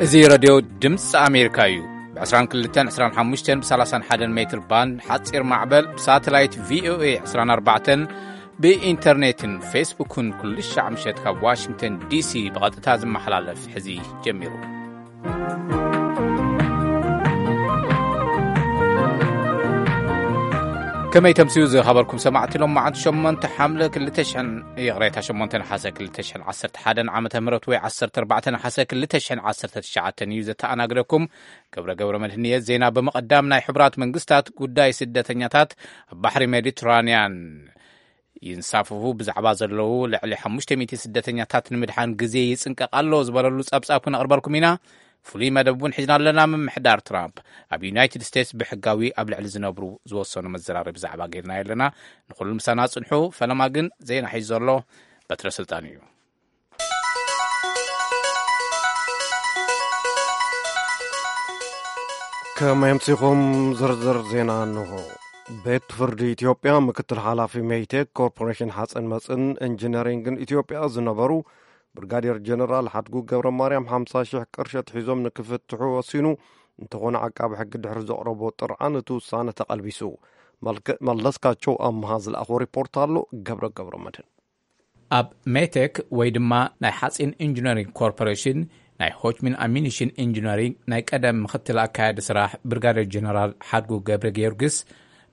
እዚ ረድዮ ድምፂ ኣሜሪካ እዩ። ብ22፣ 25፣ ብ31 ሜትር ባንድ ሓፂር ማዕበል፣ ብሳተላይት ቪ ኦ ኤ 24፣ ብኢንተርኔትን ፌስቡክን ኩሉ ሻዕ ምሸት ካብ ዋሽንግተን ዲ ሲ ብቐጥታ ዝመሓላለፍ ሕዚ ጀሚሩ። ከመይ ተምስዩ ዝኸበርኩም ሰማዕቲ፣ ሎም መዓልቲ ሸሞንተ ሓምለ ክልተ ሽሕን፣ ይቕሬታ፣ ሸሞንተ ነሓሰ ክልተ ሽሕን ዓሰርተ ሓደን ዓመተ ምህረት ወይ ዓሰርተ ኣርባዕተ ነሓሰ ክልተ ሽሕን ዓሰርተ ትሽዓተን እዩ ዘተኣናግደኩም። ገብረ ገብረ መድህን እየ። ዜና ብምቕዳም፣ ናይ ሕቡራት መንግስታት ጉዳይ ስደተኛታት ኣብ ባሕሪ ሜዲትራንያን ይንሳፈፉ ብዛዕባ ዘለዉ ልዕሊ ሓሙሽተ ሚእቲ ስደተኛታት ንምድሓን ግዜ ይጽንቀቕ ኣሎ ዝበለሉ ጸብጻብ ክነቕርበልኩም ኢና። ፍሉይ መደብ እውን ሒዝና ኣለና። ምምሕዳር ትራምፕ ኣብ ዩናይትድ ስቴትስ ብሕጋዊ ኣብ ልዕሊ ዝነብሩ ዝወሰኑ መዘራረቢ ዛዕባ ጌርና ኣለና። ንኹሉ ምሳና ጽንሑ። ፈለማ ግን ዜና ሒዙ ዘሎ በትረ ስልጣን እዩ። ከመይ ኣምሲኹም? ዝርዝር ዜና እንሆ። ቤት ፍርዲ ኢትዮጵያ ምክትል ሓላፊ ሜይቴክ ኮርፖሬሽን ሓፂን መፅን ኢንጂነሪንግን ኢትዮጵያ ዝነበሩ ብርጋዴር ጀነራል ሓድጉ ገብረ ማርያም ሓምሳ ሺሕ ቅርሺ ኣትሒዞም ንክፍትሑ ወሲኑ። እንተኾነ፣ ዓቃቢ ሕጊ ድሕሪ ዘቕረቦ ጥርዓን እቲ ውሳነ ተቐልቢሱ። መልከ-፣ መለስካቸው ኣምሃ ዝለኣኾ ሪፖርት ኣሎ። ገብረ ገብረ መድህን። ኣብ ሜቴክ ወይ ድማ ናይ ሓፂን ኢንጂነሪንግ ኮርፖሬሽን ናይ ሆችሚን ኣሚኒሽን ኢንጂነሪንግ ናይ ቀደም ምኽትል ኣካያዲ ስራሕ ብርጋዴር ጀነራል ሓድጉ ገብረ ጊዮርጊስ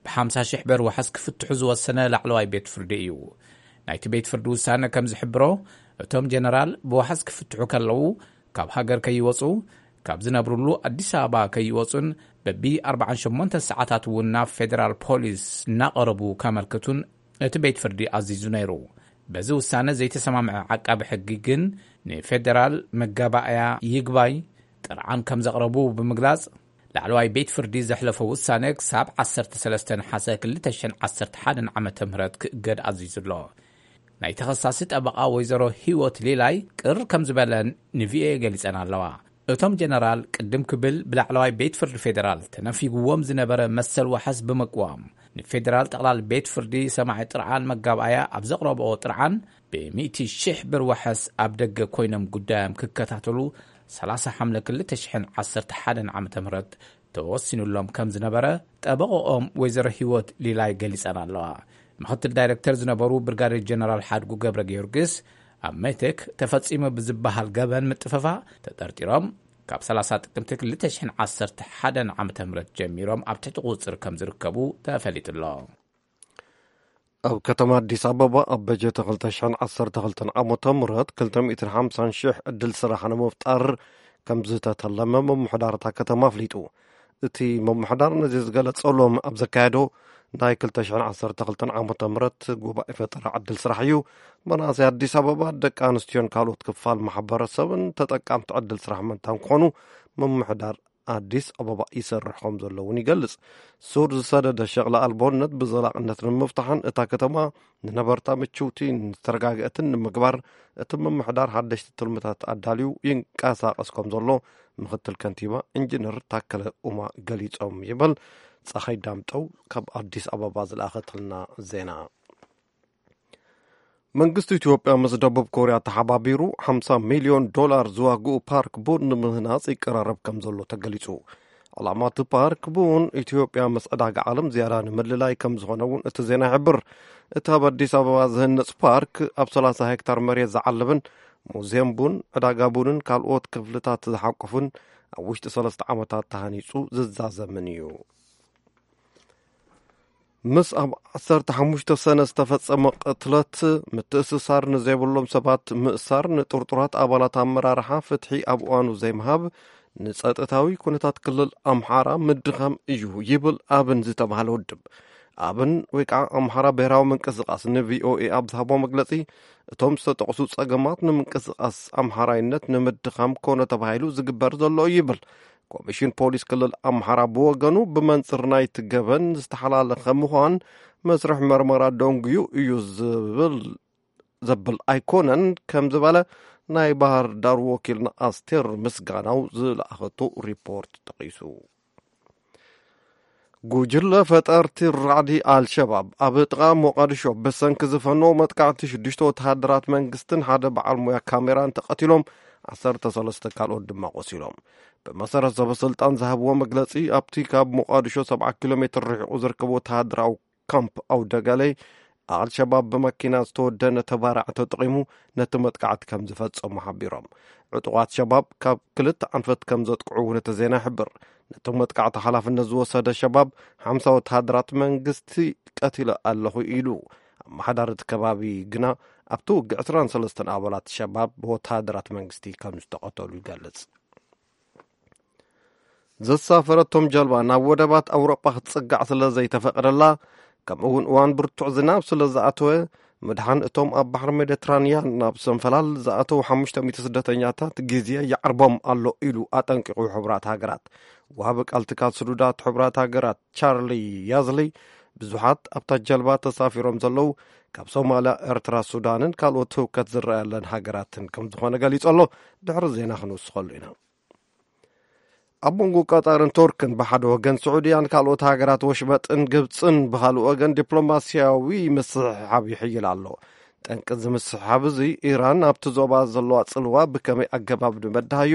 ብ50 ሺሕ ብር ዋሕስ ክፍትሑ ዝወሰነ ላዕለዋይ ቤት ፍርዲ እዩ። ናይቲ ቤት ፍርዲ ውሳነ ከም ዝሕብሮ፣ እቶም ጀነራል ብዋሕስ ክፍትሑ ከለዉ ካብ ሃገር ከይወፁ፣ ካብ ዝነብሩሉ ኣዲስ ኣበባ ከይወፁን በቢ ኣርባዓን ሸሞንተን ሰዓታት እውን ናብ ፌደራል ፖሊስ እናቐረቡ ከመልክቱን እቲ ቤት ፍርዲ ኣዚዙ ነይሩ። በዚ ውሳነ ዘይተሰማምዐ ዓቃቢ ሕጊ ግን ንፌደራል መጋባእያ ይግባይ ጥርዓን ከም ዘቕረቡ ብምግላጽ፣ ላዕለዋይ ቤት ፍርዲ ዘሕለፎ ውሳነ ክሳብ ዓሰርተ ሰለስተ ነሓሰ ክልተ ሽሕን ዓሰርተ ሓደን ዓመተ ምህረት ክእገድ ኣዚዙ ኣሎ። ናይ ተኸሳሲ ጠበቓ ወይዘሮ ህይወት ሊላይ ቅር ከም ዝበለን ንቪኦኤ ገሊጸን ኣለዋ። እቶም ጀነራል ቅድም ክብል ብላዕለዋይ ቤት ፍርዲ ፌደራል ተነፊግዎም ዝነበረ መሰል ዋሕስ ብምቅዋም፣ ንፌደራል ጠቕላል ቤት ፍርዲ ሰማዒ ጥርዓን መጋባእያ ኣብ ዘቕረብኦ ጥርዓን፣ ብ ሚእቲ ሺሕ ብር ዋሕስ ኣብ ደገ ኮይኖም ጉዳዮም ክከታተሉ ሰላሳ ሓምለ ክልተ ሽሕን ዓሰርተ ሓደን ዓመተ ምህረት ተወሲኑሎም ከም ዝነበረ ጠበቕኦም ወይዘሮ ህይወት ሊላይ ገሊጸን ኣለዋ። ምኽትል ዳይረክተር ዝነበሩ ብርጋዴር ጀነራል ሓድጉ ገብረ ጊዮርጊስ፣ ኣብ ሜቴክ ተፈጺሙ ብዝበሃል ገበን ምጥፍፋእ ተጠርጢሮም፣ ካብ ሰላሳ ጥቅምቲ ክልተ ሽሕን ዓሰርተ ሓደን ዓመተ ምህረት ጀሚሮም ኣብ ትሕቲ ቁጽጽር ከም ዝርከቡ ተፈሊጡ ኣሎ። ኣብ ከተማ ኣዲስ ኣበባ ኣብ በጀት ክልተ ሽሕን ዓሰርተ ክልተን ዓመተ ምህረት ክልተ ሚእትን ሓምሳን ሽሕ ዕድል ስራሕ ንምፍጣር ከም ዝተተለመ ምምሕዳር እታ ከተማ ኣፍሊጡ። እቲ ምምሕዳር ነዚ ዝገለጸሎም ኣብ ዘካየዶ ናይ ክልተ ሽሕን ዓሰርተ ክልተን ዓመተ ምህረት ጉባኤ ፈጠራ ዕድል ስራሕ እዩ። መናእሰይ ኣዲስ ኣበባ፣ ደቂ ኣንስትዮን ካልኦት ክፋል ማሕበረሰብን ተጠቃምቲ ዕድል ስራሕ ምእንታን ክኾኑ ምምሕዳር ኣዲስ ኣበባ ይሰርሕ ከም ዘሎ እውን ይገልጽ። ሱር ዝሰደደ ሸቕሊ ኣልቦነት ብዘላቕነት ንምፍታሕን እታ ከተማ ንነበርታ ምችውቲ ዝተረጋግአትን ንምግባር እቲ ምምሕዳር ሓደሽቲ ትልምታት ኣዳልዩ ይንቀሳቐስ ከም ዘሎ ምኽትል ከንቲባ ኢንጂነር ታከለ ኡማ ገሊጾም ይብል። ፀሓይ ዳምጠው ካብ ኣዲስ ኣበባ ዝለኣኸትልና ዜና። መንግስቲ ኢትዮጵያ ምስ ደቡብ ኮርያ ተሓባቢሩ ሓምሳ ሚልዮን ዶላር ዝዋግኡ ፓርክ ቡን ንምህናጽ ይቀራረብ ከም ዘሎ ተገሊጹ። ዕላማ እቲ ፓርክ ቡን ኢትዮጵያ ምስ ዕዳጋ ዓለም ዝያዳ ንምልላይ ከም ዝኾነ እውን እቲ ዜና ይሕብር። እቲ ኣብ ኣዲስ ኣበባ ዝህነጽ ፓርክ ኣብ ሰላሳ ሄክታር መሬት ዝዓልብን ሙዚየም ቡን፣ ዕዳጋ ቡንን ካልኦት ክፍልታት ዝሓቆፍን ኣብ ውሽጢ ሰለስተ ዓመታት ተሃኒጹ ዝዛዘምን እዩ። ምስ ኣብ ዓሰርተ ሓሙሽተ ሰነ ዝተፈጸመ ቅትለት ምትእስሳር ንዘይብሎም ሰባት ምእሳር፣ ንጥርጡራት ኣባላት ኣመራርሓ ፍትሒ ኣብ እዋኑ ዘይምሃብ፣ ንጸጥታዊ ኩነታት ክልል ኣምሓራ ምድኻም እዩ ይብል ኣብን ዝተባህለ ውድብ። ኣብን ወይ ከዓ ኣምሓራ ብሔራዊ ምንቅስቃስ ንቪኦኤ ኣብ ዝሃቦ መግለጺ፣ እቶም ዝተጠቕሱ ጸገማት ንምንቅስቃስ ኣምሓራይነት ንምድኻም ኮነ ተባሂሉ ዝግበር ዘሎ እዩ ይብል። ኮሚሽን ፖሊስ ክልል ኣምሓራ ብወገኑ፣ ብመንጽር ናይቲ ገበን ዝተሓላለኸ ምዃን መስርሕ መርመራ ደንጉዩ እዩ ዝብል፣ ዘብል ኣይኮነን ከም ዝበለ ናይ ባህር ዳር ወኪልና ኣስቴር ምስጋናው ዝለኣኸቶ ሪፖርት ጠቒሱ። ጉጅለ ፈጠርቲ ራዕዲ ኣልሸባብ ኣብ ጥቓ ሞቓድሾ ብሰንኪ ዝፈነዎ መጥቃዕቲ ሽዱሽተ ወተሃደራት መንግስትን ሓደ በዓል ሞያ ካሜራን ተቐቲሎም፣ ዓሰርተ ሰለስተ ካልኦት ድማ ቆሲሎም። ብመሰረት ሰበስልጣን ዝሃብዎ መግለጺ፣ ኣብቲ ካብ ሞቓዲሾ ሰብዓ ኪሎ ሜትር ርሒቑ ዝርከብ ወተሃደራዊ ካምፕ ኣውደገለይ፣ ኣልሸባብ ብመኪና ዝተወደነ ተባራዕ ተጠቒሙ ነቲ መጥቃዕቲ ከም ዝፈጸሙ ሓቢሮም። ዕጡቓት ሸባብ ካብ ክልተ ኣንፈት ከም ዘጥቅዑ እውን እቲ ዜና ይሕብር። ነቶም መጥቃዕቲ ሓላፍነት ዝወሰደ ሸባብ፣ ሓምሳ ወተሃደራት መንግስቲ ቀቲለ ኣለኹ ኢሉ። ኣመሓዳሪ እቲ ከባቢ ግና፣ ኣብቲ ውግእ ዕስራን ሰለስተን ኣባላት ሸባብ ብወተሃደራት መንግስቲ ከም ዝተቐተሉ ይገልጽ። ዘሳፈረቶም ጀልባ ናብ ወደባት ኣውሮጳ ክትጽጋዕ ስለ ዘይተፈቐደላ፣ ከምኡ እውን እዋን ብርቱዕ ዝናብ ስለ ዝኣተወ፣ ምድሓን እቶም ኣብ ባሕሪ ሜዲትራንያን ናብ ሰንፈላል ዝኣተዉ ሓሙሽተ ሚእቲ ስደተኛታት ግዜ ይዓርቦም ኣሎ ኢሉ ኣጠንቂቑ። ሕቡራት ሃገራት፣ ወሃቢ ቃል ትካል ስዱዳት ሕቡራት ሃገራት ቻርሊ ያዝሊ፣ ብዙሓት ኣብታ ጀልባ ተሳፊሮም ዘለዉ ካብ ሶማልያ፣ ኤርትራ፣ ሱዳንን ካልኦት ህውከት ዝረኣየለን ሃገራትን ከም ዝኾነ ገሊጹ ኣሎ። ድሕሪ ዜና ክንውስኸሉ ኢና። ኣብ መንጎ ቀጠርን ቱርክን ብሓደ ወገን፣ ስዑድያን ካልኦት ሃገራት ወሽመጥን ግብጽን ብኻልእ ወገን ዲፕሎማስያዊ ምስሕሓብ ይሕይል ኣሎ። ጠንቂ እዚ ምስሕሓብ እዚ፣ ኢራን ኣብቲ ዞባ ዘለዋ ጽልዋ ብከመይ ኣገባብ ንመድሃዮ፣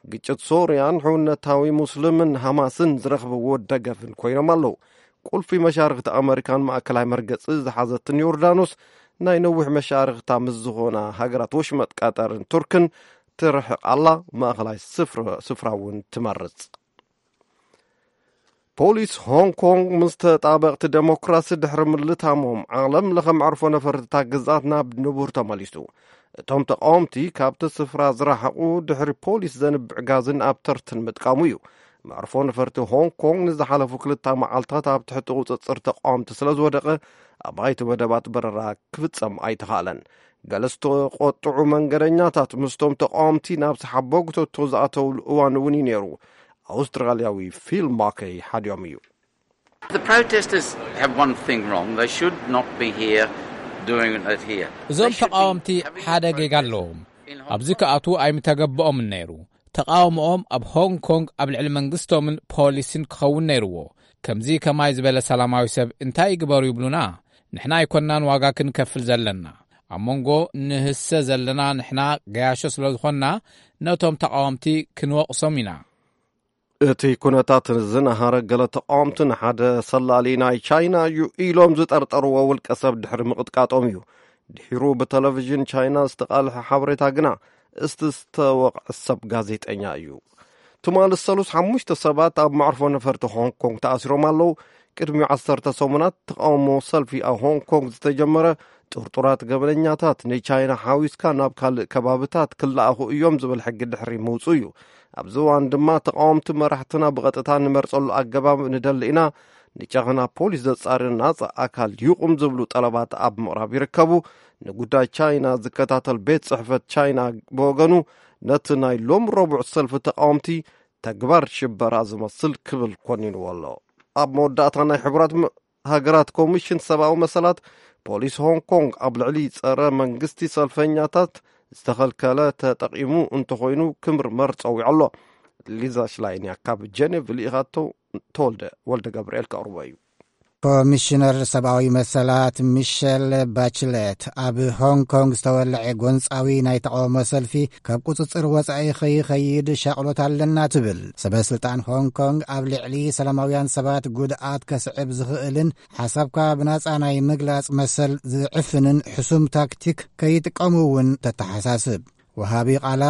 ግጭት ሶርያን ሕውነታዊ ሙስልምን ሃማስን ዝረኽብዎ ደገፍን ኮይኖም ኣለዉ። ቁልፊ መሻርኽቲ ኣመሪካን ማእከላይ መርገጺ ዝሓዘትን ዮርዳኖስ፣ ናይ ነዊሕ መሻርኽታ ምስ ዝኾና ሃገራት ወሽመጥ ቀጠርን ቱርክን ትርሕቕ ኣላ። ማእከላይ ስፍራ፣ ስፍራ እውን ትመርጽ። ፖሊስ ሆንግ ኮንግ ምስ ተጣበቕቲ ዴሞክራሲ ድሕሪ ምልታሞም፣ ዓለም ለኸ መዕርፎ ነፈርትታ ግዝኣት ናብ ንቡር ተመሊሱ። እቶም ተቃወምቲ ካብቲ ስፍራ ዝረሓቑ፣ ድሕሪ ፖሊስ ዘንብዕ ጋዝን ኣብ ተርትን ምጥቃሙ እዩ። መዕርፎ ነፈርቲ ሆንግ ኮንግ ንዝሓለፉ ክልተ መዓልታት ኣብ ትሕቲ ቁጽጽር ተቃወምቲ ስለ ዝወደቐ፣ ኣባይቲ መደባት በረራ ክፍጸም ኣይተኻእለን። ገለ ዝተቆጥዑ መንገደኛታት ምስቶም ተቃወምቲ ናብ ሰሓቦ ጉተቶ ዝኣተውሉ እዋን እውን እዩ ነይሩ። ኣውስትራልያዊ ፊል ማከይ ሓዲኦም እዩ። The protesters have one thing wrong. They should not be here doing it here. እዞም They should be ተቃወምቲ having ሓደ ጌጋ protest ኣለዎም። in Hong ኣብዚ Kong. ክኣትዉ ኣይምተገብኦምን ነይሩ። ተቃውሞኦም ኣብ ሆንግ ኮንግ ኣብ ልዕሊ መንግስቶምን ፖሊስን ክኸውን ነይርዎ። ከምዚ ከማይ ዝበለ ሰላማዊ ሰብ እንታይ ይግበሩ ይብሉና? ንሕና ኣይኮናን ዋጋ ክንከፍል ዘለና። ኣብ መንጎ ንህሰ ዘለና ንሕና ገያሾ ስለ ዝኾንና፣ ነቶም ተቃወምቲ ክንወቕሶም ኢና። እቲ ኩነታት ዝነሃረ፣ ገለ ተቃወምቲ ንሓደ ሰላሊ ናይ ቻይና እዩ ኢሎም ዝጠርጠርዎ ውልቀ ሰብ ድሕሪ ምቕጥቃጦም እዩ። ድሒሩ ብቴሌቪዥን ቻይና ዝተቓልሐ ሓበሬታ ግና፣ እስቲ ዝተወቕዐ ሰብ ጋዜጠኛ እዩ። ትማሊ ሰሉስ፣ ሓሙሽተ ሰባት ኣብ መዕርፎ ነፈርቲ ሆንግ ኮንግ ተኣሲሮም ኣለዉ። ቅድሚ ዓሰርተ ሰሙናት ተቃውሞ ሰልፊ ኣብ ሆንግ ኮንግ ዝተጀመረ፣ ጥርጡራት ገበነኛታት ንቻይና ሓዊስካ ናብ ካልእ ከባብታት ክለኣኹ እዮም ዝብል ሕጊ ድሕሪ ምውጹ እዩ። ኣብዚ እዋን ድማ ተቃወምቲ፣ መራሕትና ብቐጥታ ንመርጸሉ ኣገባብ ንደሊ ኢና፣ ንጨኸና ፖሊስ ዘጻሪ ናጻ ኣካል ይቑም ዝብሉ ጠለባት ኣብ ምቕራብ ይርከቡ። ንጉዳይ ቻይና ዝከታተል ቤት ጽሕፈት ቻይና ብወገኑ፣ ነቲ ናይ ሎም ረቡዕ ሰልፊ ተቃወምቲ ተግባር ሽበራ ዝመስል ክብል ኮኒንዎ ኣሎ። ኣብ መወዳእታ፣ ናይ ሕቡራት ም-፣ ሃገራት ኮሚሽን ሰብኣዊ መሰላት፣ ፖሊስ ሆንግ ኮንግ ኣብ ልዕሊ ጸረ መንግስቲ ሰልፈኛታት ዝተኸልከለ ተጠቒሙ እንተኾይኑ ክምርመር ጸዊዑ ኣሎ። ሊዛ ሽላይን እያ ካብ ጀኔቭ ልኢኻቶ። ተወልደ ወልደ ገብርኤል ከቕርቦ እዩ። ኮሚሽነር ሰብኣዊ መሰላት ሚሸል ባችሌት፣ ኣብ ሆንግ ኮንግ ዝተወልዐ ጎንጻዊ ናይ ተቃውሞ ሰልፊ ካብ ቁጽጽር ወጻኢ ከይኸይድ ሻቕሎት ኣለና ትብል። ሰበ ስልጣን ሆንግ ኮንግ ኣብ ልዕሊ ሰላማውያን ሰባት ጉድኣት ከስዕብ ዝኽእልን ሓሳብካ ብናጻ ናይ ምግላጽ መሰል ዝዕፍንን ሕሱም ታክቲክ ከይጥቀሙ እውን ተተሓሳስብ። ወሃቢ ቃላ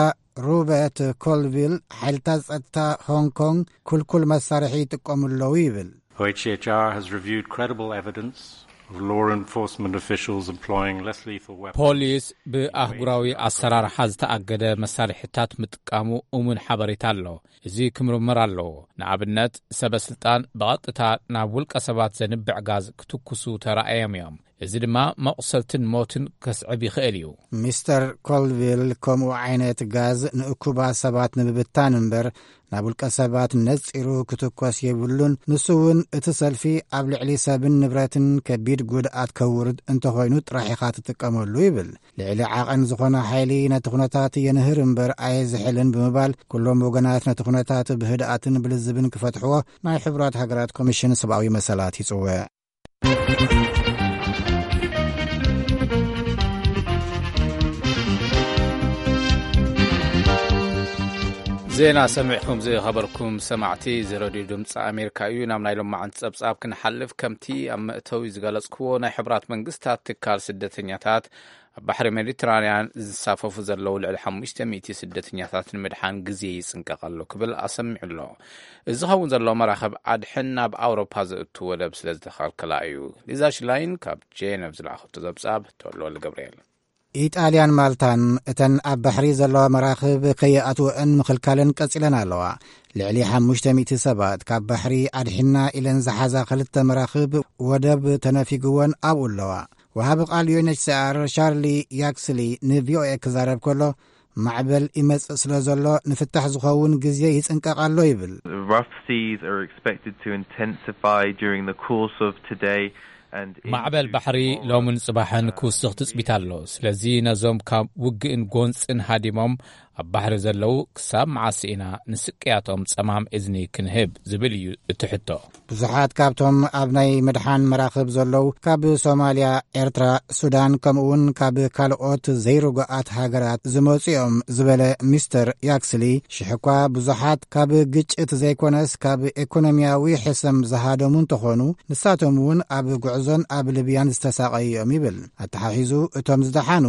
ሮበርት ኮልቪል፣ ሓይልታት ጸጥታ ሆንግ ኮንግ ክልኩል መሳርሒ ይጥቀሙ ኣለዉ ይብል። O H C H R has reviewed credible evidence of law enforcement officials employing less lethal weapons. ፖሊስ ብኣህጉራዊ ኣሰራርሓ ዝተኣገደ መሳርሒታት ምጥቃሙ እሙን ሓበሬታ ኣሎ። እዚ ክምርመር ኣለዎ። ንኣብነት፣ ሰበ ስልጣን ብቐጥታ ናብ ውልቀ ሰባት ዘንብዕ ጋዝ ክትኩሱ ተራእዮም እዮም። እዚ ድማ መቑሰልትን ሞትን ከስዕብ ይኽእል እዩ። ሚስተር ኮልቪል፣ ከምኡ ዓይነት ጋዝ ንእኩባት ሰባት ንምብታን እምበር፣ ናብ ውልቀ ሰባት ነጺሩ ክትኮስ የብሉን። ንሱ እውን፣ እቲ ሰልፊ ኣብ ልዕሊ ሰብን ንብረትን ከቢድ ጉድኣት ከውርድ እንተኾይኑ ጥራሕ ኢኻ ትጥቀመሉ ይብል። ልዕሊ ዓቐን ዝኾነ ሓይሊ ነቲ ኩነታት የንህር እምበር ኣየዝሕልን ብምባል፣ ኩሎም ወገናት ነቲ ኩነታት ብህድኣትን ብልዝብን ክፈትሕዎ ናይ ሕቡራት ሃገራት ኮሚሽን ሰብኣዊ መሰላት ይጽውዕ። ዜና ሰሚዕኩም ዝኸበርኩም ሰማዕቲ፣ እዚ ሬድዮ ድምፂ ኣሜሪካ እዩ። ናብ ናይ ሎማዓንቲ ጸብጻብ ክንሓልፍ፣ ከምቲ ኣብ መእተዊ ዝገለጽክዎ፣ ናይ ሕቡራት መንግስታት ትካል ስደተኛታት ኣብ ባሕሪ ሜዲትራንያን ዝሳፈፉ ዘለዉ ልዕሊ ሓሙሽተ ሚእቲ ስደተኛታት ንምድሓን ግዜ ይጽንቀቕ ኣሎ ክብል ኣሰሚዑ ኣሎ። እዚ ዝኸውን ዘሎ መራኸብ ኣድሕን ናብ ኣውሮፓ ዘእቱ ወደብ ስለ ዝተኸልከላ እዩ። ሊዛ ሽላይን ካብ ጄነቭ ዝለኣኸቶ ጸብጻብ፣ ተወልደ ገብርኤል። ኢጣልያን ማልታን እተን ኣብ ባሕሪ ዘለዋ መራኽብ ከይኣትወአን ምኽልካለን ቀጺለን ኣለዋ። ልዕሊ ሓሙሽተ ሚእቲ ሰባት ካብ ባሕሪ ኣድሒና ኢለን ዝሓዛ ክልተ መራኽብ ወደብ ተነፊግወን ኣብኡ ኣለዋ። ወሃቢ ቃል ዩ ኤን ኤች ሲ ኣር ሻርሊ ያክስሊ ን ቪ ኦ ኤ ክዛረብ ከሎ፣ ማዕበል ይመጽእ ስለ ዘሎ ንፍታሕ ዝኸውን ግዜ ይጽንቀቕ ኣሎ ይብል። Rough seas are expected to intensify during the course of today and into ማዕበል ባሕሪ tomorrow. ሎምን ጽባሕን ክውስኽ ትጽቢት ኣሎ። ስለዚ ነዞም ካብ ውግእን ጎንጽን ሃዲሞም ኣብ ባሕሪ ዘለዉ ክሳብ መዓስ ኢና ንስቅያቶም ጸማም እዝኒ ክንህብ ዝብል እዩ እቲ ሕቶ። ብዙሓት ካብቶም ኣብ ናይ ምድሓን መራኽብ ዘለዉ ካብ ሶማልያ፣ ኤርትራ፣ ሱዳን፣ ከምኡውን ካብ ካልኦት ዘይርጉኣት ሃገራት ዝመጹ እዮም ዝበለ ሚስተር ያክስሊ፣ ሽሕ እኳ ብዙሓት ካብ ግጭት ዘይኮነስ ካብ ኢኮኖሚያዊ ሕሰም ዝሃደሙ እንተኾኑ፣ ንሳቶም እውን ኣብ ጉዕዞን ኣብ ልብያን ዝተሳቐዩ እዮም ይብል። ኣተሓሒዙ፣ እቶም ዝደሓኑ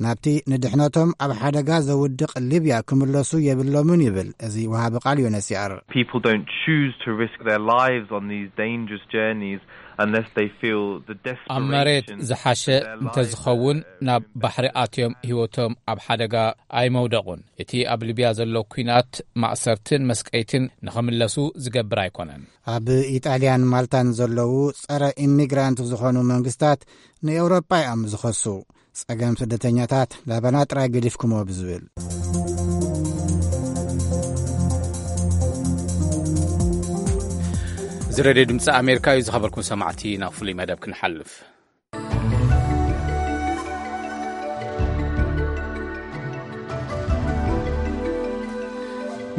ናብቲ ንድሕነቶም ኣብ ሓደጋ ዘውድቕ ሊብያ ክምለሱ የብሎምን ይብል እዚ ወሃቢ ቃል ዩ ኤን ኤች ሲ ኣር። People don't choose to risk their lives on these dangerous journeys unless they feel the ኣብ መሬት desperation ዝሓሸ that their lives እንተዝኸውን are ናብ ባሕሪ ኣትዮም ህይወቶም ኣብ ሓደጋ ኣይመውደቑን። እቲ ኣብ ሊብያ ዘሎ ኲናት ማእሰርትን መስቀይትን ንኽምለሱ ዝገብር ኣይኮነን። ኣብ ኢጣልያን ማልታን ዘለዉ ጸረ ኢሚግራንት ዝኾኑ መንግስታት ንኤውሮጳ እዮም ዝኸሱ። ጸገም ስደተኛታት ላባና ጥራይ ገዲፍኩሞ ብዝብል። እዚ ሬድዮ ድምፂ ኣሜሪካ እዩ። ዝኸበርኩም ሰማዕቲ፣ ናብ ፍሉይ መደብ ክንሓልፍ።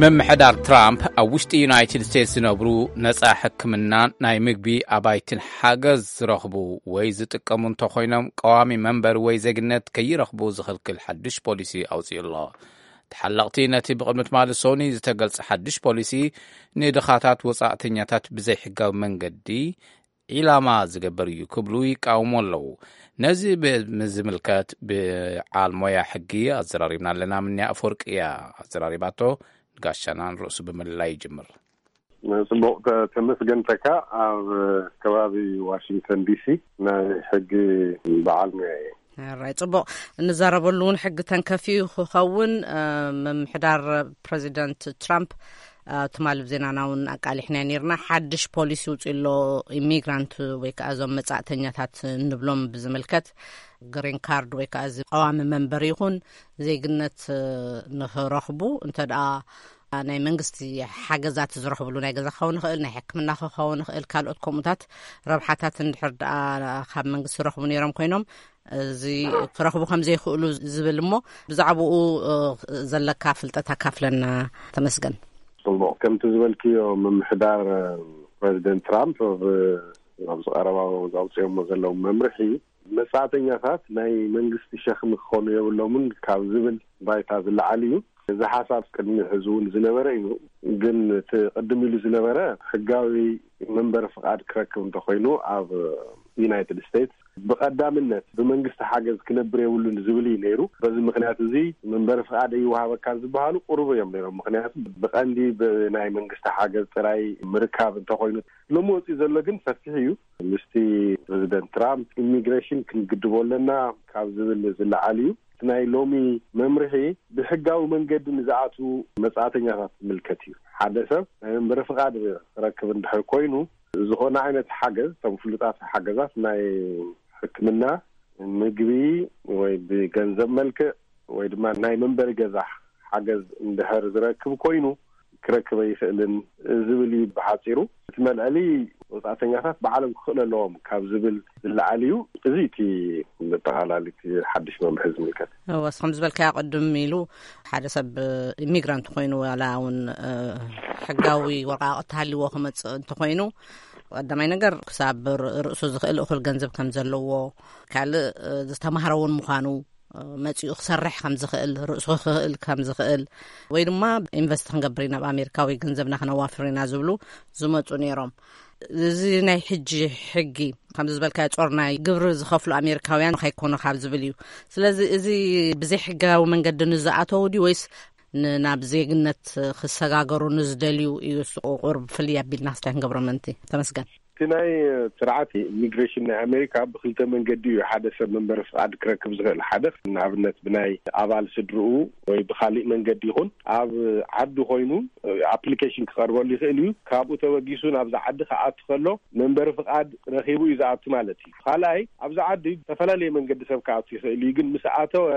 ምምሕዳር ትራምፕ ኣብ ውሽጢ ዩናይትድ ስቴትስ ዝነብሩ ነጻ ሕክምና፣ ናይ ምግቢ ኣባይትን ሓገዝ ዝረኽቡ ወይ ዝጥቀሙ እንተኾይኖም፣ ቀዋሚ መንበሪ ወይ ዜግነት ከይረኽቡ ዝኽልክል ሓድሽ ፖሊሲ ኣውጺኡ ኣሎ። ተሓለቕቲ ነቲ ብቕድሚ ትማሊ ሶኒ ዝተገልጸ ሓድሽ ፖሊሲ፣ ንድኻታት ወጻእተኛታት ብዘይሕጋዊ መንገዲ ዒላማ ዝገብር እዩ ክብሉ ይቃወሙ ኣለዉ። ነዚ ብዝምልከት ብዓል ሞያ ሕጊ ኣዘራሪብና ኣለና። ምንያ ኣፈወርቂ እያ ኣዘራሪባቶ። ንጋሻናን ርእሱ ብምልላይ ይጅምር። ጽቡቕ፣ ተ-፣ ተመስገን ተካ፣ ኣብ ከባቢ ዋሽንግተን ዲሲ ናይ ሕጊ በዓል ሞያ እየ። ሕራይ፣ ጽቡቕ። እንዛረበሉ እውን ሕጊ ተንከፊ ክኸውን፣ እ፣ ምምሕዳር ፕረዚደንት ትራምፕ፣ እ፣ ትማሊ ኣብ ዜናና እውን ኣቃሊሕና ነይርና። ሓድሽ ፖሊሲ ውፅኡ ኣሎ፣ ኢሚግራንት ወይ ከዓ እዞም መጻእተኛታት እንብሎም ብዝምልከት፣ ግሪን ካርድ ወይ ከዓ እዚ ቀዋሚ መንበሪ ይኹን ዜግነት፣ እ፣ ንኽረኽቡ እንተ ደኣ ናይ መንግስቲ ሓገዛት ዝረኽብሉ ናይ ገዛ ክኸውን ይኽእል፣ ናይ ሕክምና ክኸውን ይኽእል፣ ካልኦት ከምኡታት ረብሓታት እንድሕር ደኣ ካብ መንግስቲ ይረኽቡ ነይሮም ኮይኖም፣ እዚ ክረኽቡ ከም ዘይክእሉ ዝብል እሞ፣ ብዛዕባኡ፣ እ፣ ዘለካ ፍልጠት ኣካፍለና። ተመስገን። ጽቡቕ። ከምቲ ዝበልክዮ፣ ምምሕዳር፣ እ፣ ፕረዚደንት ትራምፕ ብ-፣ ኣብዚ ቀረባ ዘውፅኦሞ ዘለዉ መምርሒ፣ መጻእተኛታት ናይ መንግስቲ ሸኽሚ ክኾኑ የብሎምን ካብ ዝብል ባይታ ዝለዓል እዩ። እዚ ሓሳብ ቅድሚ ሕዚ እውን ዝነበረ እዩ። ግን እቲ ቅድም ኢሉ ዝነበረ፣ ሕጋዊ መንበሪ ፍቓድ ክረክብ እንተኾይኑ ኣብ ዩናይትድ ስቴትስ፣ ብቐዳምነት ብመንግስቲ ሓገዝ ክነብር የብሉን ዝብል እዩ ነይሩ። በዚ ምኽንያት እዚ መንበሪ ፍቓድ ይወሃበካ ዝበሃሉ ቁሩብ እዮም ነይሮም። ምኽንያቱ ብቐንዲ ብናይ መንግስቲ ሓገዝ ጥራይ ምርካብ እንተኾይኑ፣ ሎሚ ወፂኡ ዘሎ ግን ሰፊሕ እዩ። ምስቲ ፕረዚደንት ትራምፕ ኢሚግሬሽን ክንግድቦ ኣለና ካብ ዝብል ዝለዓል እዩ። እቲ ናይ ሎሚ መምርሒ ብሕጋዊ መንገዲ ንዝኣትዉ መጻእተኛታት ዝምልከት እዩ። ሓደ ሰብ ናይ መንበሪ ፍቓድ ክረክብ እንድሕር ኮይኑ፣ ዝኾነ ዓይነት ሓገዝ፣ እቶም ፍሉጣት ሓገዛት ናይ ሕክምና፣ ምግቢ ወይ ብገንዘብ መልክዕ ወይ ድማ ናይ መንበሪ ገዛ ሓገዝ እንድሕር ዝረክብ ኮይኑ፣ ክረክብ ኣይኽእልን ዝብል እዩ ብሓፂሩ። እቲ መልዐሊ ወፃእተኛታት ባዕሎም ክኽእሉ ኣለዎም ካብ ዝብል ዝለዓል እዩ። እዚ እቲ መጠቓላሊ እቲ ሓድሽ መምርሒ ዝምልከት። እወ፣ እስኹም ዝበልካዮ ቅድም ኢሉ ሓደ ሰብ ኢሚግራንት ኮይኑ ዋላ እውን፣ እ፣ ሕጋዊ ወረቃቕቲ ሃልዎ ክመፅእ እንተኮይኑ፣ ቀዳማይ ነገር ክሳብ ር-፣ ርእሱ ዝኽእል እኹል ገንዘብ ከም ዘለዎ፣ ካልእ፣ እ፣ ዝተማህረ እውን ምዃኑ፣ መጺኡ ክሰርሕ ከም ዝኽእል፣ ርእሱ ክኽእል ከም ዝኽእል፣ ወይ ድማ ኢንቨስት ክንገብር ኢና ኣብ ኣሜሪካ ወይ ገንዘብና ክነዋፍር ኢና ዝብሉ ዝመጹ ነይሮም። እዚ ናይ ሕጂ ሕጊ ከምዚ ዝበልካዮ ጾር ናይ ግብሪ ዝኸፍሉ ኣሜሪካውያን ከይኮኑ ካብ ዝብል እዩ። ስለዚ እዚ ብዘይ ሕጋዊ መንገዲ ንዝኣተው ድዩ ወይስ ን-፣ ናብ ዜግነት ክሰጋገሩ ንዝደልዩ እዩ እሱ ቁሩብ ፍልይ ኣቢልና ክስታይ ክንገብሮ ምእንቲ። ተመስገን። እቲ ናይ ስርዓት ኢሚግሬሽን ናይ ኣሜሪካ ብክልተ መንገዲ እዩ ሓደ ሰብ መንበሪ ፍቃድ ክረክብ ዝኽእል። ሓደ ንኣብነት ብናይ ኣባል ስድርኡ ወይ ብካሊእ መንገዲ ይኹን ኣብ ዓዲ ኮይኑ ኣፕሊኬሽን ክቐርበሉ ይኽእል እዩ። ካብኡ ተበጊሱ ናብዚ ዓዲ ክኣቱ ከሎ መንበሪ ፍቃድ ረኺቡ እዩ ዝኣቱ ማለት እዩ። ካልኣይ ኣብዚ ዓዲ ዝተፈላለየ መንገዲ ሰብ ክኣቱ ይኽእል እዩ። ግን ምስ ኣተወ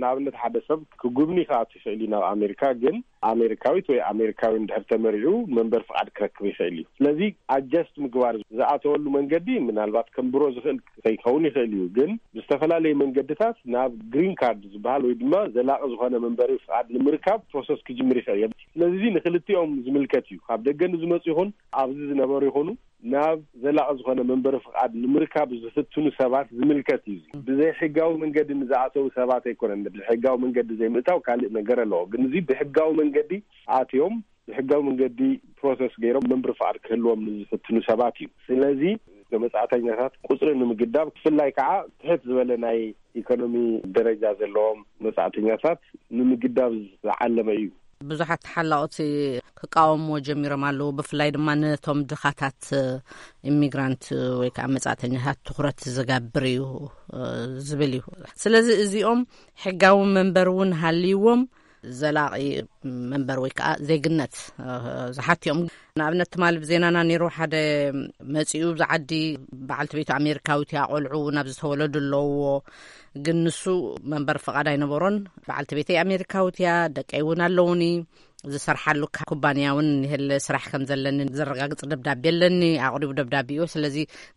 ንኣብነት ሓደ ሰብ ክጉብኒ ክኣቱ ይኽእል እዩ ናብ ኣሜሪካ። ግን ኣሜሪካዊት ወይ ኣሜሪካዊ እንድሕር ተመሪዑ መንበሪ ፍቃድ ክረክብ ይኽእል እዩ። ስለዚ ኣጀስት ምግባር ዝኣተወሉ መንገዲ ምናልባት ከም ብሮ ዝኽእል ከይከውን ይኽእል እዩ። ግን ብዝተፈላለየ መንገድታት ናብ ግሪን ካርድ ዝበሃል ወይ ድማ ዘላቂ ዝኾነ መንበሪ ፍቃድ ንምርካብ ፕሮሰስ ክጅምር ይኽእል እዩ። ስለዚ እዚ ንክልቲኦም ዝምልከት እዩ። ካብ ደገ ንዝመፁ ይኹን ኣብዚ ዝነበሩ ይኹኑ ናብ ዘላቂ ዝኾነ መንበሪ ፍቃድ ንምርካብ ዝፍትኑ ሰባት ዝምልከት እዩ። እዚ ብዘይ ሕጋዊ መንገዲ ንዝኣተው ሰባት ኣይኮነን። ብዘይ ሕጋዊ መንገዲ ዘይምእታው ካልእ ነገር ኣለዎ። ግን እዚ ብሕጋዊ መንገዲ ኣትዮም ብሕጋዊ መንገዲ ፕሮሰስ ገይሮም መንበሪ ፍቃድ ክህልዎም ንዝፍትኑ ሰባት እዩ። ስለዚ መጻእተኛታት ቁጽሪ ንምግዳብ ብፍላይ ከዓ ትሕት ዝበለ ናይ ኢኮኖሚ ደረጃ ዘለዎም መጻእተኛታት ንምግዳብ ዝዓለመ እዩ። ብዙሓት ተሓላቕቲ ክቃወምዎ ጀሚሮም ኣለዉ። ብፍላይ ድማ ነቶም ድኻታት ኢሚግራንት ወይ ከዓ መጻእተኛታት ትኹረት ዝገብር እዩ ዝብል እዩ። ስለዚ እዚኦም ሕጋዊ መንበር እውን ሃልይዎም ዘላቒ መንበር ወይ ከዓ ዜግነት ዝሓትዮም። ንኣብነት ትማሊ ብዜናና ነይሩ ሓደ መፂኡ ብዛ ዓዲ በዓልቲ ቤቱ ኣሜሪካዊት እያ፣ ቆልዑ ናብ ዝተወለዱ ኣለውዎ። ግን ንሱ መንበር ፍቓድ ኣይነበሮን። በዓልቲ ቤተይ ኣሜሪካዊት እያ፣ ደቀይ እውን ኣለውኒ፣ ዝሰርሓሉ ኩባንያ እውን ንህለ ስራሕ ከም ዘለኒ ዘረጋግፅ ደብዳቤ ኣለኒ፣ ኣቕሪቡ ደብዳቤ እዩ። ስለዚ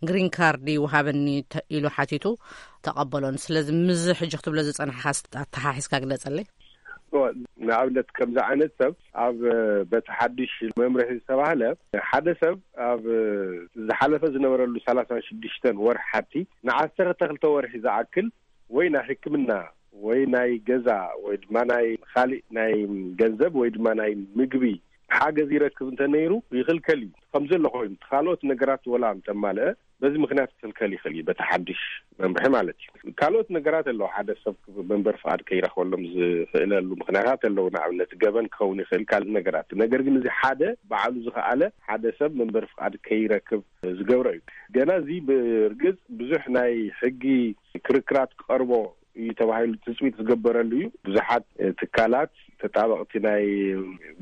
ግሪን ካርድ ይውሃበኒ ኢሉ ሓቲቱ፣ ተቐበሎን። ስለዚ ምዚ ሕጂ ክትብሎ ዝፀናሕካ ኣተሓሒዝካ ግለፀለይ። ንኣብነት ከምዚ ዓይነት ሰብ ኣብ በቲ ሓድሽ መምርሒ ዝተባህለ ሓደ ሰብ ኣብ ዝሓለፈ ዝነበረሉ ሰላሳን ሽዱሽተን ወርሒ ሓቲ ንዓሰርተ ክልተ ወርሒ ዝኣክል ወይ ናይ ሕክምና ወይ ናይ ገዛ ወይ ድማ ናይ ካሊእ ናይ ገንዘብ ወይ ድማ ናይ ምግቢ ሓገዝ ይረክብ እንተነይሩ ይኽልከል እዩ። ከምዘሎ ኮይኑ ካልኦት ነገራት ወላ እንተማልአ በዚ ምክንያት ክኽልከል ይኽእል እዩ። በቲ ሓድሽ መምርሒ ማለት እዩ። ካልኦት ነገራት ኣለዉ። ሓደ ሰብ መንበር ፍቓድ ከይረኽበሎም ዝኽእለሉ ምክንያታት ኣለዉ። ንኣብነት ገበን ክኸውን ይኽእል፣ ካልእ ነገራት። ነገር ግን እዚ ሓደ ባዕሉ ዝኸኣለ ሓደ ሰብ መንበር ፍቓድ ከይረክብ ዝገብሮ እዩ። ገና እዚ ብርግጽ ብዙሕ ናይ ሕጊ ክርክራት ክቐርቦ እዩ ተባሂሉ ትፅቢት ዝገበረሉ እዩ። ብዙሓት ትካላት ተጣበቕቲ ናይ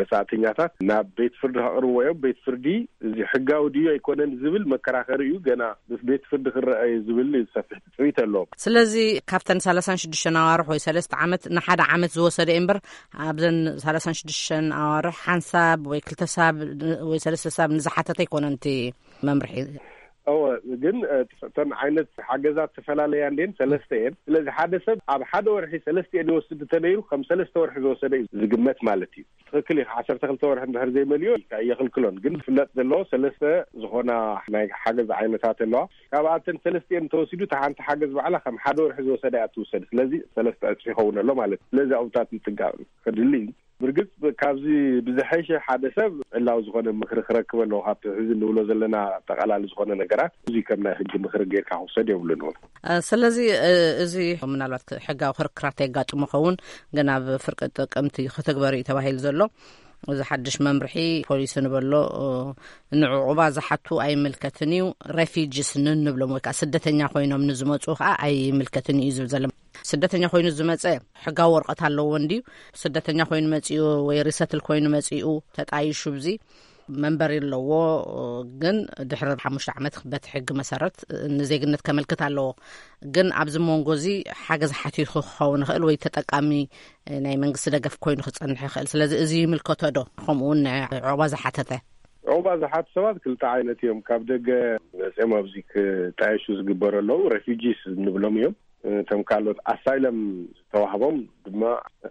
መጻእተኛታት ናብ ቤት ፍርዲ ከቕርብዎ እዮም። ቤት ፍርዲ እዚ ሕጋዊ ድዩ ኣይኮነን ዝብል መከራኸሪ እዩ። ገና ምስ ቤት ፍርዲ ክረአ እዩ ዝብል ሰፊሕ ትፅቢት ኣለዎም። ስለዚ ካብተን ሰላሳን ሽዱሽተን ኣዋርሕ ወይ ሰለስተ ዓመት ንሓደ ዓመት ዝወሰደ እዩ እምበር ኣብዘን ሰላሳን ሽዱሽተን ኣዋርሕ ሓንሳብ ወይ ክልተ ሳብ ወይ ሰለስተ ሳብ ንዝሓተተ ኣይኮነን እቲ መምርሒ። እወ፣ ግን እተን ዓይነት ሓገዛት ዝተፈላለያ እንዴን ሰለስተ እየን። ስለዚ ሓደ ሰብ ኣብ ሓደ ወርሒ ሰለስተ እየን ይወስድ እንተነይሩ ከም ሰለስተ ወርሒ ዝወሰደ እዩ ዝግመት ማለት እዩ። ትኽክል እዩ። ዓሰርተ ክልተ ወርሒ እንድሕር ዘይመልዮ የኽልክሎን። ግን ዝፍለጥ ዘለዎ ሰለስተ ዝኾና ናይ ሓገዝ ዓይነታት ኣለዋ። ካብኣተን ሰለስተ እየን ተወሲዱ እታ ሓንቲ ሓገዝ ባዕላ ከም ሓደ ወርሒ ዝወሰደ እያ ትውሰድ። ስለዚ ሰለስተ ዕፅፊ ይኸውን ኣሎ ማለት እዩ። ስለዚ ኣብታት ምጥንቃቕ ከድሊ እዩ። ብርግጽ ካብዚ ብዝሐሸ ሓደ ሰብ ዕላዊ ዝኾነ ምኽሪ ክረክብ ኣለዎ። ካብቲ ሕዚ ንብሎ ዘለና ኣጠቓላሊ ዝኾነ ነገራት እዚ ከም ናይ ሕጊ ምኽሪ ጌርካ ክውሰድ የብሉን እውን። ስለዚ እዚ ምናልባት ሕጋዊ ክርክራት የጋጥሞ ኸውን፣ ግን ኣብ ፍርቂ ጥቅምቲ ክትግበር እዩ ተባሂሉ ዘሎ። እዚ ሓድሽ መምርሒ ፖሊሲ ንበሎ ንዕቑባ ዝሓቱ ኣይምልከትን እዩ። ሬፊጅስ ንንብሎም ወይ ከዓ ስደተኛ ኮይኖም ንዝመፁ ከዓ ኣይምልከትን እዩ ዝብል ዘሎ። ስደተኛ ኮይኑ ዝመፀ ሕጋዊ ወረቐት ኣለዎ እንድዩ። ስደተኛ ኮይኑ መፂኡ ወይ ሪሰትል ኮይኑ መፂኡ ተጣይሹ ብዚ መንበሪ ኣለዎ። ግን ድሕሪ ሓሙሽተ ዓመት በቲ ሕጊ መሰረት ንዜግነት ከመልክት ኣለዎ። ግን ኣብዚ መንጎ እዚ ሓገዝ ሓቲቱ ክኸውን ይኽእል ወይ ተጠቃሚ ናይ መንግስቲ ደገፍ ኮይኑ ክፀንሕ ይኽእል። ስለዚ እዚ ይምልከቶ ዶ? ከምኡ እውን ንዕቑባ ዝሓተተ ዕቑባ ዝሓቱ ሰባት ክልተ ዓይነት እዮም። ካብ ደገ መፅኦም ኣብዚ ክጣየሹ ዝግበሩ ኣለዉ። ሬፊጂስ እንብሎም እዮም። እቶም ካልኦት ኣሳይለም ዝተዋህቦም ድማ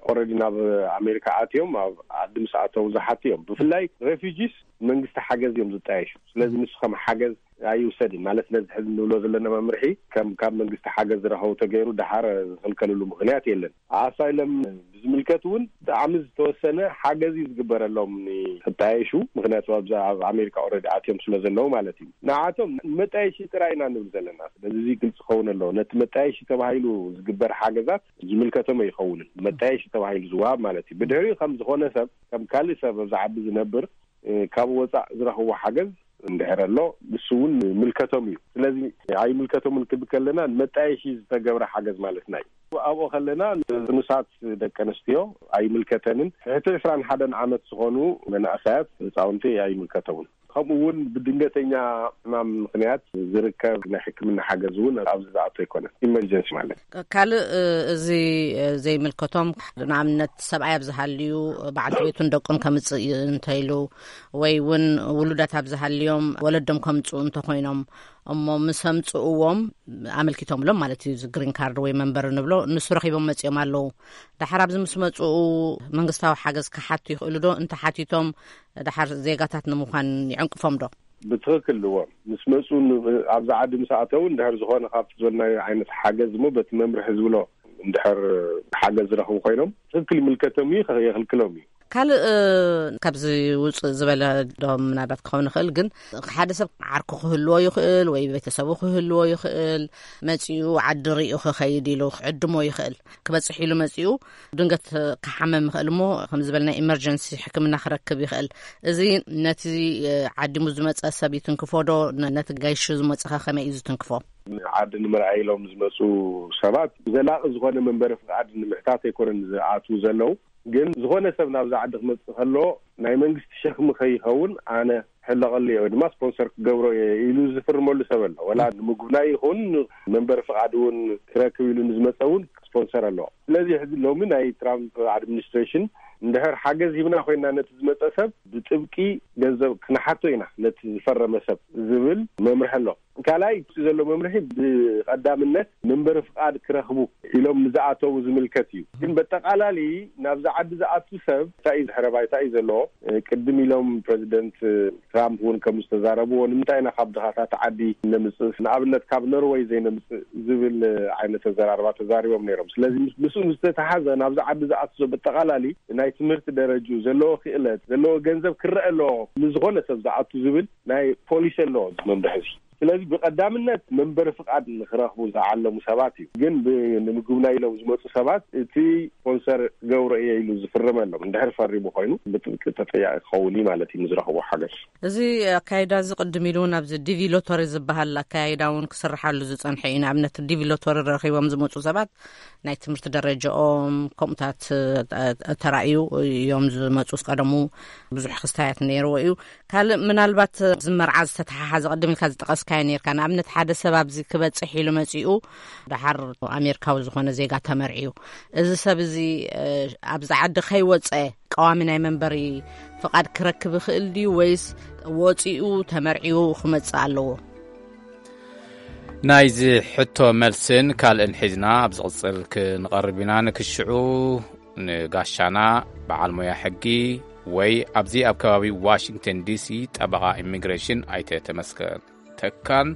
ኦረዲ ናብ ኣሜሪካ ኣትዮም ኣብ ዓዲ ምስ ኣተው ዝሓቱ እዮም። ብፍላይ ሬፊጂስ መንግስቲ ሓገዝ እዮም ዝጣየሹ። ስለዚ ንሱ ከም ሓገዝ ኣይውሰድን። ማለት ነዚ ሕዚ ንብሎ ዘለና መምርሒ ከም ካብ መንግስቲ ሓገዝ ዝረኸቡ ተገይሩ ደሓር ዝኽልከልሉ ምኽንያት የለን። ኣሳይለም ብዝምልከት እውን ብጣዕሚ ዝተወሰነ ሓገዝ እዩ ዝግበረሎም ንክጣየሹ። ምኽንያቱ ኣብዛ ኣብ ኣሜሪካ ኦልሬዲ ኣትዮም ስለ ዘለዉ ማለት እዩ። ንዓቶም መጣየሺ ጥራይ ኢና ንብል ዘለና። ስለዚ እዚ ግልፂ ክኸውን ኣለዎ። ነቲ መጣየሺ ተባሂሉ ዝግበር ሓገዛት ዝምልከቶም ኣይኸውንን። መጣየሺ ተባሂሉ ዝወሃብ ማለት እዩ። ብድሕሪኡ ከም ዝኾነ ሰብ፣ ከም ካልእ ሰብ ኣብዚ ዓዲ ዝነብር፣ እ፣ ካብ ወፃእ ዝረኽቦ ሓገዝ እንድሕር ኣሎ፣ ንሱ እውን ምልከቶም እዩ። ስለዚ ኣይምልከቶምን ክብል ከለና ንመጣየሺ ዝተገብረ ሓገዝ ማለትና እዩ። ኣብኡ ከለና ንጥኑሳት ደቂ ኣንስትዮ ኣይምልከተንን። ትሕቲ ዕስራን ሓደን ዓመት ዝኾኑ መናእሰያት ህፃውንቲ ኣይምልከቶምን። ከምኡ እውን ብድንገተኛ ሕማም ምኽንያት ዝርከብ ናይ ሕክምና ሓገዝ እውን ኣብዚ ዝኣቶ ኣይኮነን። ኢመርጀንሲ ማለት ካልእ፣ እ፣ እዚ፣ እ፣ ዘይምልከቶም፣ ንኣብነት ሰብኣይ ኣብ ዝሃልዩ በዓልቲ ቤቱን ደቁን ከምጽእ እንተኢሉ፣ ወይ እውን ውሉዳት ኣብ ዝሃልዮም ወለዶም ከምጽኡ እንተኾይኖም፣ እሞ ምስ ኣምጽእዎም፣ ኣመልኪቶምሎም ማለት እዩ፣ እዚ ግሪን ካርድ ወይ መንበሪ ንብሎ፣ ንሱ ረኺቦም መጺኦም ኣለዉ። ደሓር ኣብዚ ምስ መጽኡ መንግስታዊ ሓገዝ ክሓቱ ይኽእሉ ዶ? እንተሓቲቶም፣ ደሓር ዜጋታት ንምዃን ይዕንቅፎም ዶ? ብትኽክል እዎ። ምስ መጹ ን-፣ ኣብዚ ዓዲ ምስ ኣተው እንድሕር ዝኾነ ካብቲ ዝበልናዮ ዓይነት ሓገዝ እሞ በቲ መምርሒ ዝብሎ እንድሕር ሓገዝ ዝረኽቡ ኮይኖም ትኽክል ይምልከቶም እዩ፣ የኽልክሎም እዩ። ካልእ፣ እ፣ ካብዚ ውፅእ ዝበለ ዶ ምናልባት ክኸውን ይኽእል፣ ግን ሓደ ሰብ ዓርኩ ክህልዎ ይኽእል ወይ ቤተሰቡ ክህልዎ ይኽእል፣ መፂኡ ዓዲ ሪኡ ክኸይድ ኢሉ ክዕድሞ ይኽእል። ክበፅሕ ኢሉ መፂኡ ድንገት ክሓመም ይኽእል እሞ፣ ከም ዝበልና ኢመርጀንሲ ሕክምና ክረክብ ይኽእል። እዚ ነቲ፣ እ፣ ዓዲሙ ዝመፀ ሰብ ይትንክፎ ዶ? ነ-፣ ነቲ ጋይሹ ዝመፀኸ ከመይ እዩ ዝትንክፎ? ዓዲ ንምርኣይ ኢሎም ዝመፁ ሰባት ዘላቒ ዝኾነ መንበሪ ፍቓድ ንምሕታት ኣይኮነን ዝኣትዉ ዘለዉ። ግን ዝኾነ ሰብ ናብዚ ዓዲ ክመፅእ ከሎ ናይ መንግስቲ ሸኽሚ ከይኸውን ኣነ ሕለቐሉ እየ ወይ ድማ ስፖንሰር ክገብሮ እየ ኢሉ ዝፍርመሉ ሰብ ኣሎ። ወላ ንምጉብናይ ይኹን መንበሪ ፍቓድ እውን ክረክብ ኢሉ ንዝመፀ እውን ስፖንሰር ኣለዎ። ስለዚ ሕዚ ሎሚ ናይ ትራምፕ ኣድሚኒስትሬሽን እንድሕር ሓገዝ ሂብና ኮይና ነቲ ዝመፀ ሰብ ብጥብቂ ገንዘብ ክነሓቶ ኢና ነቲ ዝፈረመ ሰብ ዝብል መምርሒ ኣሎ። ካልኣይ እቲ ዘሎ መምርሒ ብቐዳምነት መንበሪ ፍቓድ ክረኽቡ ኢሎም ንዝኣተዉ ዝምልከት እዩ። ግን በጠቓላሊ ናብዚ ዓዲ ዝኣቱ ሰብ እንታይ እዩ ድሕረ ባይታ እዩ ዘለዎ? እ፣ ቅድም ኢሎም ፕረዚደንት ትራምፕ እውን ከም ዝተዛረብዎ ንምንታይ ኢና ካብ ድኻታት ዓዲ ነምፅእ፣ ንኣብነት ካብ ኖርወይ ዘይነምፅእ ዝብል ዓይነት ኣዘራርባ ተዛሪቦም ነይሮም። ስለዚ ምስ-፣ ምስኡ ምስ ዝተተሓዘ ናብዚ ዓዲ ዝኣቱ ሰብ በጠቓላሊ ናይ ትምህርቲ ደረጅኡ ዘለዎ ክእለት ዘለዎ ገንዘብ ክረአ ኣለዎ ንዝኾነ ሰብ ዝኣቱ ዝብል ናይ ፖሊሲ ኣለዎ እዚ መምርሒ እዚ። ስለዚ ብቐዳምነት መንበሪ ፍቓድ ንክረኽቡ ዝዓለሙ ሰባት እዩ። ግን ብ-፣ ንምጉብናይ ኢሎም ዝመፁ ሰባት እቲ ስፖንሰር ክገብሮ እየ ኢሉ ዝፍርመሎም እንድሕር ፈሪሙ ኮይኑ ብጥብቂ ተጠያቂ ክኸውን እዩ ማለት እዩ ንዝረኽቦ ሓገዝ። እዚ ኣካይዳ እዚ ቅድም ኢሉ እውን ኣብዚ ዲቪ ሎተሪ ዝበሃል ኣካይዳ እውን ክስርሓሉ ዝፀንሐ እዩ። ንኣብነት ዲቪ ሎተሪ ረኺቦም ዝመፁ ሰባት ናይ ትምህርቲ ደረጃኦም ከምኡታት፣ እ፣ ተራእዩ እዮም ዝመፁ ቀደሙ ብዙሕ ክስታያት ነይርዎ እዩ። ካልእ ምናልባት እዚ መርዓ ዝተተሓሓዘ ቅድም ኢልካ ዝጠቐስካዮ ነይርካ። ንኣብነት ሓደ ሰብ ኣብዚ ክበፅሕ ኢሉ መፂኡ ደሓር ኣሜሪካዊ ዝኾነ ዜጋ ተመርዕዩ። እዚ ሰብ እዚ፣ እ፣ ኣብዚ ዓዲ ከይወፀ ቀዋሚ ናይ መንበሪ ፍቓድ ክረክብ ይኽእል ድዩ ወይስ ወፂኡ ተመርዕዩ ክመፅእ ኣለዎ? ናይዚ ሕቶ መልስን ካልእን ሒዝና ኣብ ዝቕጽል ክንቐርብ ኢና። ንክሽዑ ንጋሻና በዓል ሞያ ሕጊ ወይ ኣብዚ ኣብ ከባቢ ዋሽንግተን ዲሲ ጠበቓ ኢሚግሬሽን ኣይተ ተመስገን ተካን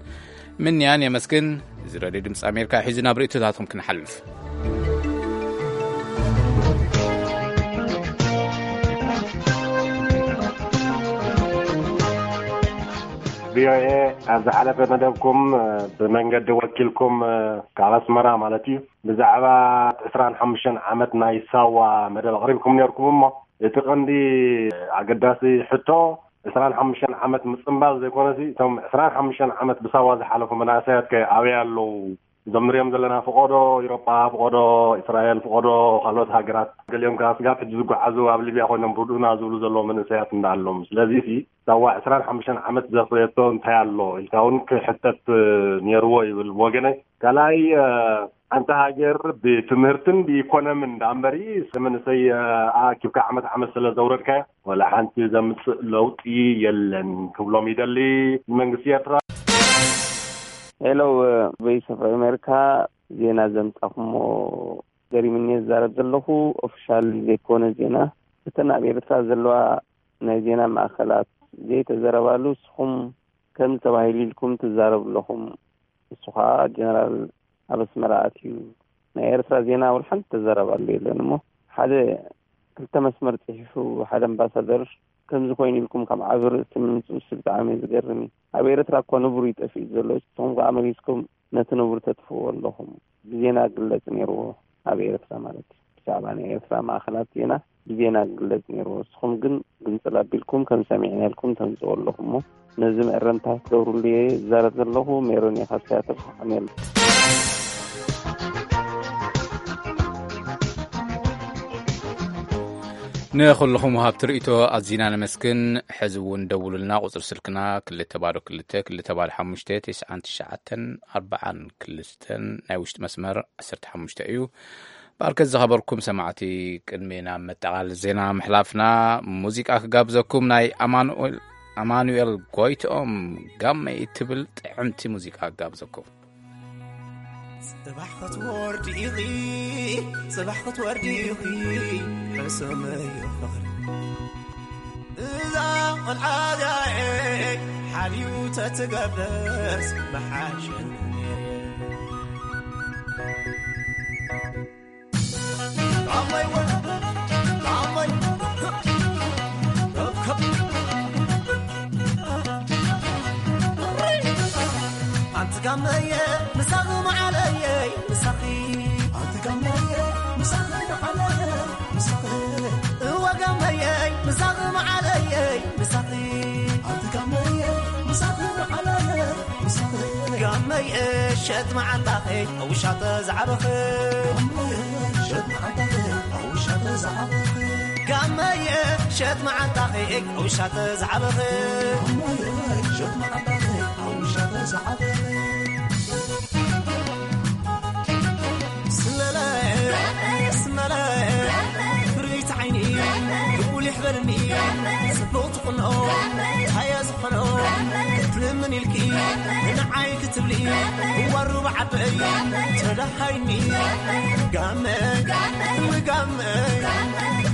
ምንያን የመስግን። እዚ ረድዮ ድምፂ ኣሜሪካ ሒዙ ናብ ርእይቶታትኩም ክንሓልፍ። ቪኦኤ ኣብ ዝሓለፈ መደብኩም ብመንገዲ ወኪልኩም ካብ ኣስመራ ማለት እዩ ብዛዕባ ዕስራን ሓሙሽተን ዓመት ናይ ሳዋ መደብ ኣቕሪብኩም ነርኩም እሞ እቲ ቀንዲ ኣገዳሲ ሕቶ ዕስራን ሓሙሽተን ዓመት ምጽንባል ዘይኮነሲ እቶም ዕስራን ሓሙሽተን ዓመት ብሳዋ ዝሓለፉ መናእሰያት ከ ኣበይ ኣለዉ? እዞም ንሪኦም ዘለና ፍቆዶ ኢሮጳ፣ ፍቆዶ እስራኤል፣ ፍቆዶ ካልኦት ሃገራት፣ ገሊኦም ከዓ ስጋብ ሕጂ ዝጓዓዙ ኣብ ሊብያ ኮይኖም ርድኡና ዝብሉ ዘለዉ መንእሰያት እንዳኣሎም። ስለዚ ሲ ሳዋ ዕስራን ሓሙሽተን ዓመት ዘፍረየቶ እንታይ ኣሎ ኢልካ እውን ክሕተት ነይርዎ ይብል ብወገነይ። ካልኣይ ሓንቲ ሃገር ብትምህርትን ብኢኮኖምን ደኣ እምበሪ መንእሰይ ኣኪብካ ዓመት ዓመት ስለ ዘውረድካዮ ዋላ ሓንቲ ዘምፅእ ለውጢ የለን ክብሎም ይደሊ ንመንግስቲ ኤርትራ። ሄሎ፣ ቮይስ ኦፍ ኣሜሪካ፣ ዜና ዘምጻኹሞ ገሪምኒ ዝዛረብ ዘለኹ። ኦፊሻል ዘይኮነ ዜና፣ እተን ኣብ ኤርትራ ዘለዋ ናይ ዜና ማእከላት ዘይተዘረባሉ፣ ንስኹም ከም ተባሂሉ ኢልኩም ትዛረቡ ኣለኹም። እሱ ኸዓ ጀነራል ኣብ ኣስመራ ኣትዩ ናይ ኤርትራ ዜና ወላ ሓንቲ ተዛረባሉ የለን እሞ ሓደ ክልተ መስመር ጽሒፉ ሓደ ኣምባሳደር ከምዚ ኮይኑ ኢልኩም ካብ ዓቢ ርእሲ ምምጽኡ ሲ ብጣዕሚ እዩ ዝገርም እዩ። ኣብ ኤርትራ እኮ ንቡር እዩ ጠፊኡ ዘሎ። ንስኹም ከኣ መሊስኩም ነቲ ንቡር ተጥፍእዎ ኣለኹም። ብዜና ግለጽ ነይርዎ ኣብ ኤርትራ ማለት እዩ። ብዛዕባ ናይ ኤርትራ ማእኸላት ዜና ብዜና ግለጽ ነይርዎ። ንስኹም ግን ግንጽል ኣቢልኩም ከም ሰሚዕና ኢልኩም ተምጽኡ ኣለኹም እሞ ነዚ መእረምታ ክትገብሩሉ እየ ዝዛረብ ዘለኹ። ሜሮን እየ ካብ ሲያትል። ኣሜን። ንኹልኹም ወሃብቲ ርእይቶ ኣዚና ነመስግን። ሕዚ እውን ደውሉልና። ቁጽሪ ስልክና ክልተ ባዶ ክልተ ክልተ ባዶ ሓሙሽተ ተስዓን ትሽዓተን ኣርባዓን ክልተን ናይ ውሽጢ መስመር ዓሰርተ ሓሙሽተ እዩ። ባርከት ዝኸበርኩም ሰማዕቲ፣ ቅድሚ ናብ መጠቓል ዜና ምሕላፍና ሙዚቃ ክጋብዘኩም ናይ ኣማኑኤል፣ ኣማኑኤል ጎይትኦም ጋመይ እትብል ጥዕምቲ ሙዚቃ ክጋብዘኩም። ጽባሕ ክትወርዲ ኢኺ፣ ጽባሕ ክትወርዲ ኢኺ፣ ሕሰመዮ ፍቕሪ። እዛ ቖልዓ እዚኣ ሓልዩ ተትገብረስ ምሓሸኒ ነይሩ። ኣንቲ ጋመየ ምሳኺ መዓለየይ ምሳኺ። ኣንቲ ጋመየ ምሳኺ መዓለየይ ምሳኺ። እወ ጋመየይ ምሳኺ መዓለየይ ምሳኺ። ኣንቲ ጋመየ ምሳኺ መዓለየይ ምሳኺ። ጋመየ ሸጥ መዓንጣኺ ኣብ ውሻጠ ዝዓበኺ። ጋመየ ሸጥ መዓንጣኺ ኣብ ውሻጠ ዝዓበኺ። ጋመየ ሸጥ መዓንጣኺ ኣብ ውሻጠ ዝዓበኺ። ስመለ፣ ስመለ፣ ፍርይቲ ዓይኒ፣ ልኡል ይሕበልኒ፣ ጽቡቕ ትቕንኦ፣ ታየ ዝኾኖ፣ ክትልምን ኢልኪ፣ ንዓይ ክትብሊ፣ ዋሩ ብዓበይ፣ ተዳሃይኒ፣ ጋመ፣ ንጋመ፣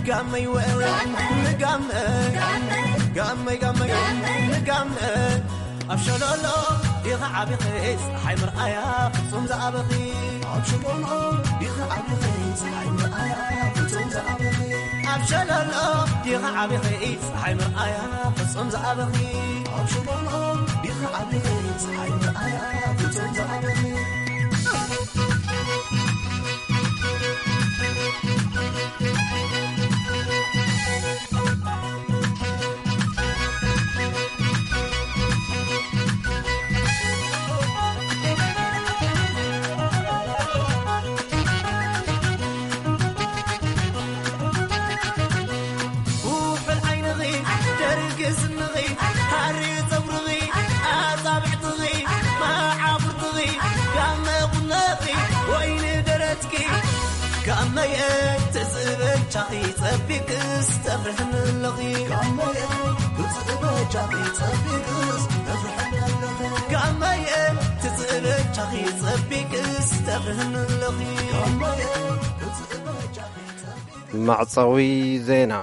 ጋመይ ወ፣ ንጋመ፣ ጋመይ፣ ጋመይ፣ ንጋመ፣ ኣብ ሸለሎ ዲኻ ዓቢኺ፣ ፀሓይ ምርኣያ ፍጹም ዝኣበኺ። ኣብ ሸለሎ ዲኻ ዓቢኺ፣ ፀሓይ ምርኣያ ፍጹም ዝኣበኺ። ኣብ ሸለሎ ዲኻ ዓቢኺ፣ ፀሓይ ምርኣያ ፍጹም ዝኣበኺ። ኣብ ሸለሎ ዲኻ ዓቢኺ፣ ፀሓይ ምርኣያ ፍጹም ዝኣበኺ። ኩሕል ዓይንኺ፣ ደርጊ ስንኺ፣ ሃሪ ጸጉርኺ፣ ኣጻብዕትኺ፣ መዓፍርትኺ፣ ጋመ ቁኖኺ፣ ወይኒ ደረትኪ፣ ጋመየ ትስእበቻኺ ጸቢቅስ ተፍርሕኒ ኣለኺ። ጋመየ ትስእበቻኺ ጸቢቅስ ተፍርሕኒ ኣለኺ። ጋመየ ትስእበቻኺ ጸቢቅስ ተፍርሕኒ ኣለኺ። ጋመየ ትስእበቻኺ ጸቢቅስ መዕጸዊ ዜና።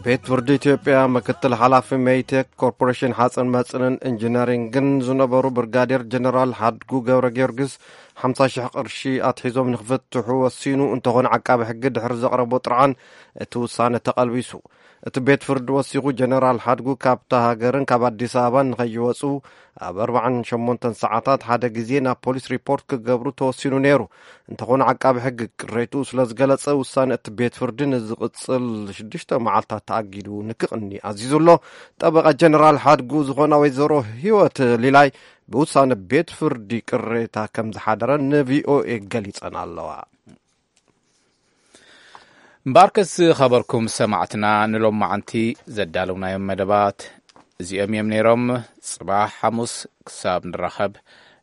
ቤት ፍርዲ ኢትዮጵያ ምክትል ሓላፊ ሜይቴክ ኮርፖሬሽን ሓጽን መጽንን ኢንጂነሪንግን ዝነበሩ ብርጋዴር ጀነራል ሓድጉ ገብረ ጊዮርጊስ ሓምሳ ሽሕ ቅርሺ ኣትሒዞም ንክፍትሑ ወሲኑ እንተኾነ ዓቃቢ ሕጊ ድሕሪ ዘቕረቦ ጥርዓን እቲ ውሳነ ተቐልቢሱ። እቲ ቤት ፍርዲ ወሲኹ ጀነራል ሓድጉ ካብታ ሃገርን ካብ ኣዲስ ኣበባን ንኸይወጹ ኣብ ኣርባዓን ሸሞንተን ሰዓታት ሓደ ግዜ ናብ ፖሊስ ሪፖርት ክገብሩ ተወሲኑ ነይሩ። እንተኾነ ዓቃቢ ሕጊ ቅሬትኡ ስለ ዝገለጸ ውሳነ እቲ ቤት ፍርዲ ንዝቕጽል ሽዱሽተ መዓልታት ተኣጊዱ ንክቕኒ ኣዚዙ ኣሎ። ጠበቓ ጀነራል ሓድጉ ዝኾና ወይዘሮ ህይወት ሊላይ ብውሳነ ቤት ፍርዲ ቅሬታ ከም ዝሓደረ ንቪኦኤ ገሊጸን ኣለዋ። እምበኣርከስ ዝኸበርኩም ሰማዕትና ንሎማዓንቲ ዘዳለውናዮም መደባት እዚኦም እዮም ነይሮም። ጽባሕ ሓሙስ ክሳብ ንራኸብ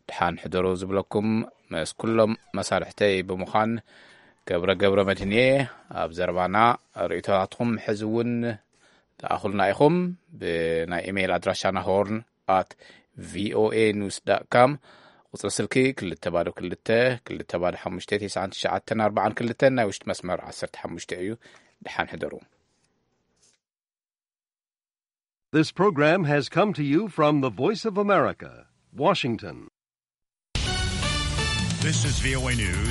ደሓን ሕደሩ ዝብለኩም ምስ ኩሎም መሳርሕተይ ብምዃን ገብረ ገብረ መድህንየ ኣብ ዘረባና ርእይቶታትኩም ሕዚ እውን ተኣኹልና ኢኹም። ብናይ ኢሜይል ኣድራሻና ሆርን ኣት ቪኦኤ ኒውስ ዳት ካም፣ ቁጽሪ ስልኪ ክልተ ባዶ ክልተ ክልተ ባዶ ሓሙሽተ ተስዓን ትሽዓተን ኣርባዓን ክልተን ናይ ውሽጢ መስመር ዓሰርተ ሓሙሽተ እዩ። ደሓን ሕደሩ። This program has come to you from the Voice of America, Washington. This is V O A News.